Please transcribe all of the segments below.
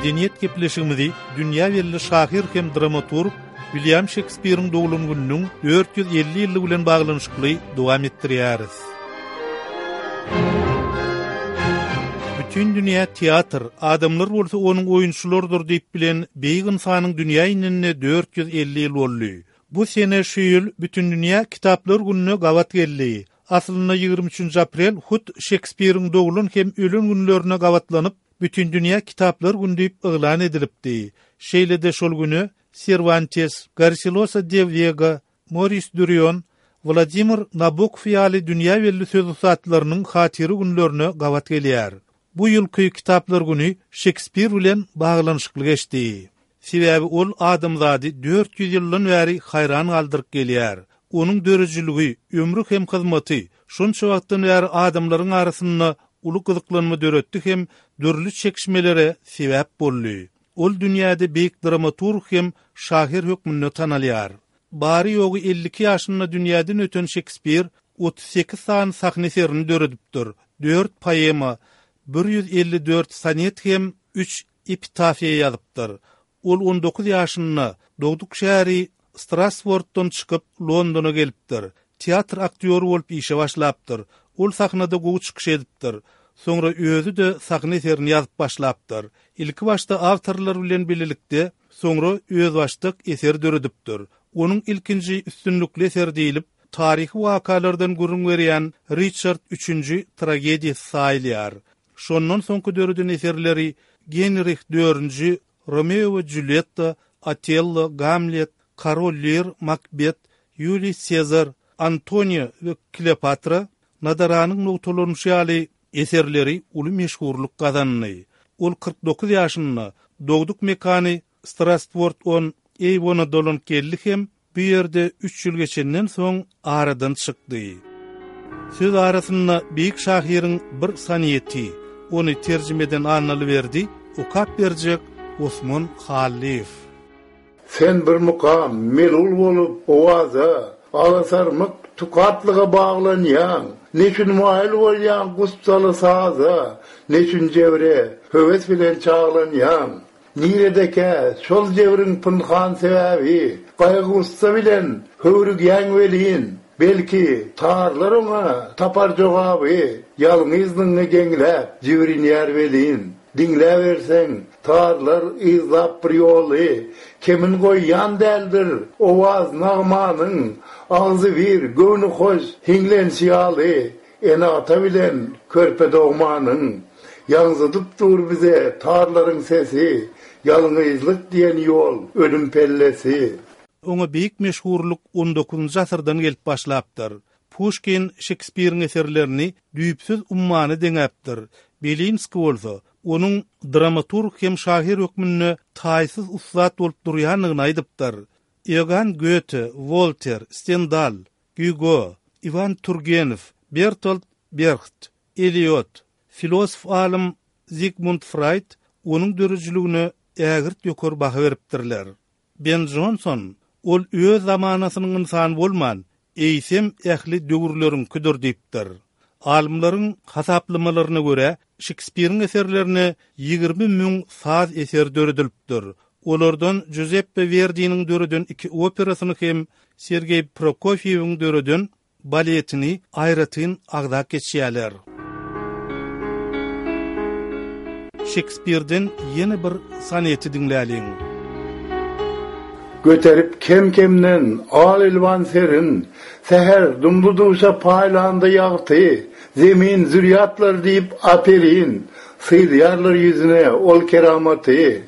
Medeniýet gepleşigimizi dünýä belli şahyr hem dramaturg Wilýam Şekspiriň doglan gününiň 450 ýyllygy bilen baglanyşykly dowam etdirýäris. Bütin dünýä teatr, adamlar bolsa onuň oýunçylarydyr diýip bilen beýik ynsanyň dünýä inenine 450 ýyl boldy. Bu sene şu ýyl Bütindünýä kitaplar gününe gabat geldi. Aslynda 23 aprel hut Şekspiriň doglan hem ölen günlerine gabatlanyp, Bütindünýä kitaplar güni diýip yglan edilipdi. Şeýle-de şol güne Serwantes, Garsilosa de Wega, Moris Durion, Wladimir Nabokow ýaly dünýä belli söz ussatlarynyň hatyra günlerine gabat gelýär. Bu ýylky kitaplar güni Şekspir bilen baglanyşykly geçdi. Sebäbi ol adamzady 400 ýyldan bäri haýran galdyryp gelýär. Onuň döredijiligi, ömri hem hyzmaty şonça wagtdan bäri adamlaryň arasynda uly gyzyklanma döretdi hem dürli çekişmelere sebäp boldy. Ol dünýäde beýik dramaturg hem şahyr hökmünde tanalýar. Bary-ýogy 52 ýaşynda dünýäden öten Şekspir 38 sany sahna eserini döredipdir, dört poema, 154 sonet hem üç epitafiýa ýazypdyr. Ol on dokuz ýaşynda dogduk şäheri Strasworddan çykyp, Londona gelipdir. Teatr aktýory bolup işe başlapdyr. Ol sahnada gowy çykyş edipdir. Soňra özi-de sahna eserini ýazyp başlapdyr. Ilkibaşda awtorlar bilen bilelikde, soňra özbaşdak eser döredipdir. Onuň ilkinji üstünlikli eseri diýlip, taryhy wakalardan gürrüň berýän Riçard üçünji tragediýasy saýylýar. Şondan soňky döreden eserleri Genrih dördünji, Romeo we Julýetta, Otello, Gamlet, Korol Lir, Makbet, Ýuliý Sezar, Antoniýa we Kleopatra, Nadaranyň nogtalanyşy ýaly eserleri uly meşhurlyk gazandy. Ol 49 ýaşynda dogduk mekany Strastword-on-Eýwona dolanyp geldi hem Bu ýerde üç ýyl geçenden soň aradan çykdy. Söz arasynda beýik şahyryň bir soneti, ony terjime eden Annaly Berdi, okap berjek Osman Hallyýew. Sen bir mukam, melul bolup owaza, Alasarmyk tukatlyga baglanýaň. Neçün maýyl bolýaň gussaly saza, Neçün jebre höwes bilen çaglanýaň? Niredekä şol jebriň pynhan sebäbi, Gaýgy-gussa bilen höwrügýäň welin, Belki, tarlar oňa tapar jogaby, Ýalňyzlygyňy geňläp, jibrinýär welin. Diňläberseň, tarlar yzlap bir ýoly, Kemin goýýan däldir owaz-nagmanyň, Agzybir, göwnühoş hiňlenşi ýaly, Ene-ata bilen körpe dogmanyň, Ýaňzydyp dur bize tarlaryň sesi, Ýalňyzlyk diýen ýol ölüm pellesi. Oňa beýik meşhurlyk on dokuzynjy asyrdan gelip başlapdyr. Puşkin Şekspiriň eserlerini düýpsüz ummana deňäpdir. Belinskiý bolsa, onuň dramaturg hem şahyr hökmünde taýsyz ussat bolup durýandygyny aýdypdyr. Iogann Gýote, Wolter, Stendal, Gýugo, Iwan Turgenew, Bertolt Berht, Eliot, filosof alym Zigmund Fraýd onuň döredijiligine ägirt ýokary baha beripdirler. Ben Jonson, Ol öz zamanasynyň ynsany bolman, eýsem ähli döwürleriňkidir diýipdir. Alymlaryň hasaplamalaryna görä, Şekspiriň eserlerine 20 müň saz eseri döredilipdir. Olardan Juzeppe Werdiniň döreden iki operasyny hem Sergeý Prokofýewiň döreden baletini aýratyn agzap geçýärler. Şekspirden ýene bir soneti diňläliň. Göterip kem-kemden al-elwan serin, Säher dumly-duşa paýlanda ýagty, Zemin zürýatlar diýip aperin, Syzýarlar ýüzüne ol keramaty.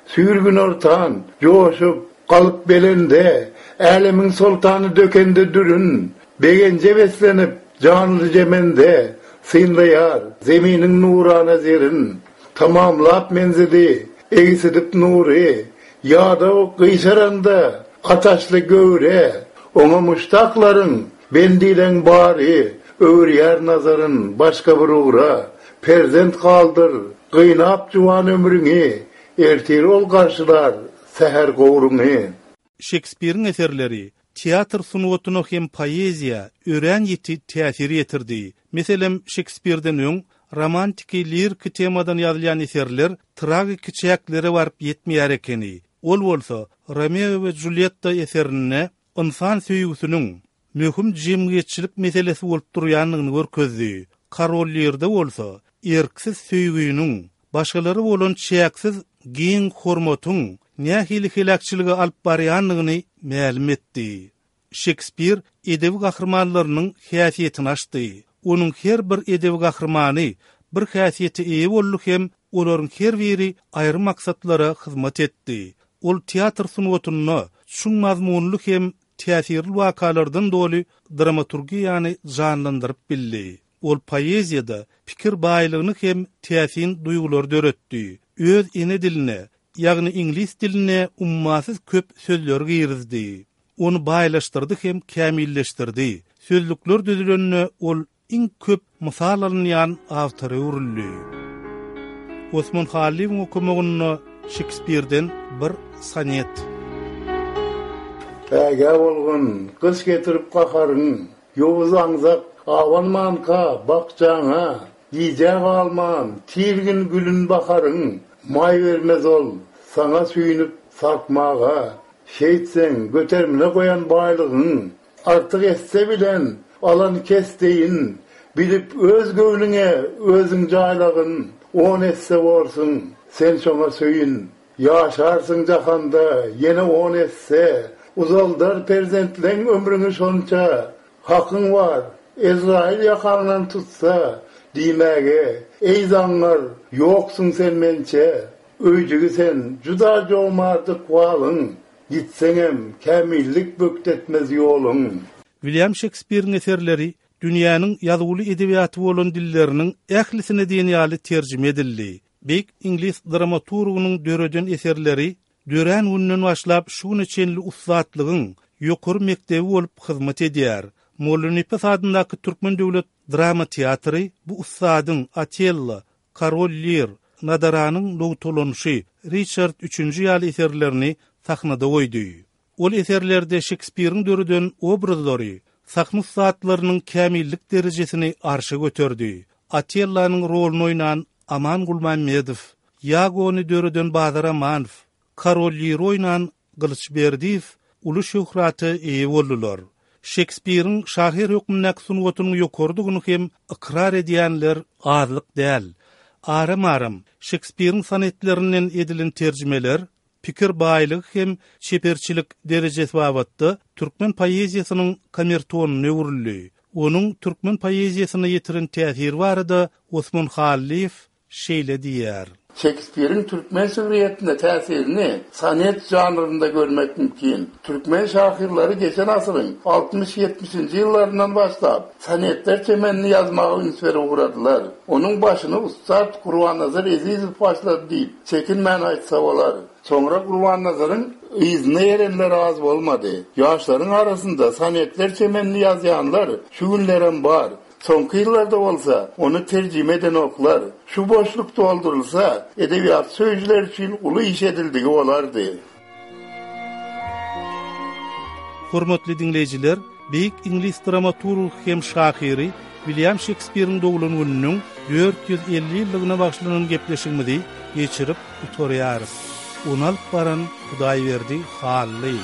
Süýr günortan, joşup, galyp belende, Älemiň soltany dökende dürün, Begenje beslenip, janly jemende, Synlaýar Zeminiň nurana zerin. Tamamlap menzili, egsidip nury, Ýadaw gyşaranda ataşly göwre, Oňa muşdaklaryň, bendileň bary, Öwürýär nazaryn başga bir ugra. Perzent galdyr, gynap juwan ömrüňi, Ertir ol garşylar säher gowruňy. Şekspiriň eserleri teatr sungatyna hem poeziýa örän ýiti täsir ýetirdi. Meselem, Şekspirden öň Romantiki-liriki temadan ýazylýan eserler tragiki çäklere baryp ýetmeýär ekeni. Ol bolsa Romeo we Julýetta eserinde ynsan söýgüsiniň möhüm jemgyýetçilik meselesi bolup durýandygyny görkezdi. Korol Lirde bolsa erksiz söýginiň, başgalara bolan çäksiz giň hormatyň nähili heläkçilige alyp barýandygyny mälim etdi. Şekspir edebi gahrymanlarynyň häsiýetini açdy. Onuň her bir edebi gahrymany bir häsiýete eýe boldy hem olaryň her biri aýry maksatlara hyzmat etdi. Ol teatr sungatynda çuň mazmunly hem täsirli wakalardan doly dramaturgiýany janlandyryp bildi. Ol poeziýada pikir baýlygyny hem täsin duýgulary döretdi. Öz ene diline, ýagny iňlis diline ummasyz köp sözleri girizdi. Ony baýlaşdyrdy hem kämilleşdirdi. Sözlükler düzülende ol iň köp mysal alynýan awtora öwrüldi. Osman Hallyýewiň okamagynda Şekspirden bir sonet. Ägä bolgun, gyş getirip gaharyň, Ýowuz aňzak abanmanka bakjaňa, Gijä galman, tirgin gülün baharyň, Maý bermez ol, saňa süýnüp sarkmaga. Şeýtseň, göterimine goýan baýlygyň, Artyk esse bilen alan kes deýin, Bilip öz göwnüňe özüň jaýlagyn, On esse borsuň, sen şoňa söýün. Ýaşarsyň jahanda ýene on esse, Uzaldar perzentleň ömrüňi şonça. Hakyň bar, Ezraýyl ýakaňdan tutsa, Diýmäge, Eý zaňňar, ýoksuň sen mençe. Öýjügi sen, juda jomart ykbalyň, Gitseňem, kämillik bökdetmez ýoluň. Wilýam Şekspiriň eserleri dünýäniň ýazuwly edebiýaty bolan dilleriniň ählisine diýen ýaly terjime edildi. Beýik iňlis dramaturgynyň döreden eserleri dörän günden başlap şu güne çenli ussatlygyň ýokary mekdebi bolup hyzmat edýär. Mollanepes adyndaky Türkmen döwlet drama teatry bu ussadyň Otello, Korol Lir, Nadaranyň nogtalanyşy, Riçard üçünji ýaly eserlerini sahnada goýdy. Ol eserlerde Şekspiriň döreden obrazlary sahna ussatlarynyň kämillik derejesini arşa göterdi. Otellonyň roluny oýnan Aman Gulmämmedow, Ýagony döreden Bazar Amanow, Korol Liri oýnan Gylyç Berdiýew uly şöhrata eýe boldular. Şekspiriň şahyr hökmündäki sungatynyň ýokarydygyny hem ykrar edýänler azlyk däl. Aram-aram Şekspiriň sonetlerinden edilen terjimeler pikir baýlygy hem çeperçilik derejesi babatda türkmen poeziýasynyň kamertonyna öwrüldi. Onuň türkmen poeziýasyna ýetiren täsiri barada Osman Hallyýew şeýle diýýär. Şekspiriň türkmen şygryýetine täsirini sonet žanrynda görmek mümkin. Türkmen şahyrlary geçen asyryň altmyş-ýetmişinji ýyllaryndan başlap, sonetler çemenini ýazmaga üns berip ugradylar. Onuň başyny ussat Gurbannazar Ezizow başlady diýip, çekinmän aýtsa bolar. Soňra Gurbannazaryň yzyna erenler az bolmady. Ýaşlaryň arasynda sonetler çemenini ýazýanlar şu günlerem bar. Soňky ýyllarda bolsa ony terjime edenoklar. Şu boşluk doldurylsa, edebiýat söýüjiler üçin uly iş edildigi bolardy. Hormatly diňleýjiler, beýik iňlis dramaturgy hem şahyry Wilýam Şekspiriň doglan gününiň 450 ýyllygyna bagyşlanan gepleşigimizi geçirip gutarýarys. Ony alyp baran Hudaýberdi Hally.